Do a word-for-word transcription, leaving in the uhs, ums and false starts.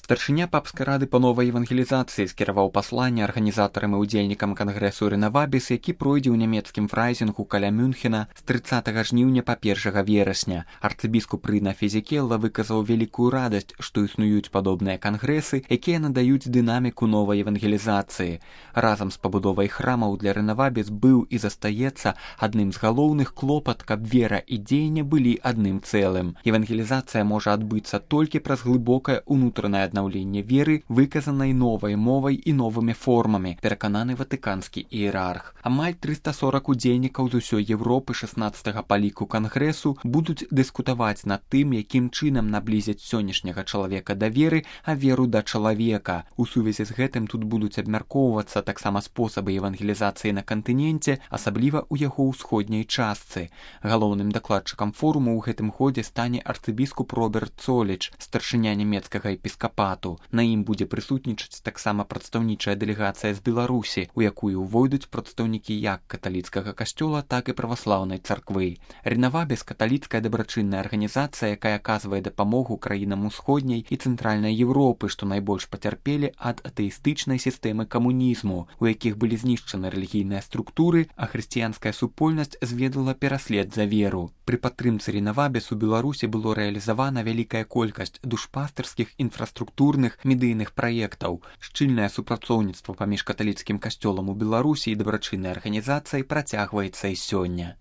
Старшыня папскай рады па новай евангелізацыі скіраваў пасланне арганізатарам і ўдзельнікам кангрэсу Рэнавабіс, які пройдзе ў нямецкім фрайзінгу каля Мюнхена з трыццатага жніўня па першага верасня. Арцыбіскуп Рына Фезекелла выказаў вялікую радасць, што існуюць падобныя кангрэсы, якія надаюць дынаміку новай евангелізацыі. Разам з пабудовай храмаў для Рэнавабіс быў і застаецца адным з галоўных клопат, каб вера і дзеянне былі адным цэлым. Евангелізацыя можа адбыцца толькі праз глыбокае ўнутранае аднаўленне веры, выказанай новай мовай і новымі формамі, перакананы ватыканскі іерарх. Амаль трыста сорак удзельнікаў з усёй Европы шаснаццатага па ліку кангрэсу будуць дыскутаваць над тым, якім чынам наблізіць сённяшняга чалавека да веры, а веру да чалавека. У сувязі з гэтым тут будуць абмяркоўвацца таксама спосабы евангелізацыі на кантыненце, асабліва ў яго ўсходняй частцы. Галоўным дакладчыкам форуму ў гэтым годзе стане арцыбіскуп Роберт Цоліч, старшыня нямецкага епіскапату. На ім будзе прысутнічаць таксама прадстаўнічая дэлегацыя з Беларусі, у якую ўвойдуць прадстаўнікі як каталіцкага касцёла, так і праваслаўнай царквы. Рэнавабіс – каталіцкая дабрачынная арганізацыя, якая аказвае дапамогу краінам усходняй і цэнтральнай Европы, што найбольш пацярпелі ад атэістычнай сістэмы камунізму, у якіх былі знішчаны рэлігійныя структуры, а хрысціянская супольнасць зведала пераслед за веру. Пры падтрымцы Рэнавабіс у Беларусі было рэалізавана вялікая колькасць душпастырскіх інфраструктурных медыйных праектаў. Шчыльнае супрацоўніцтва паміж каталіцкім касцёлам у Беларусі і дабрачыннай арганізацыяй працягваецца і сёння.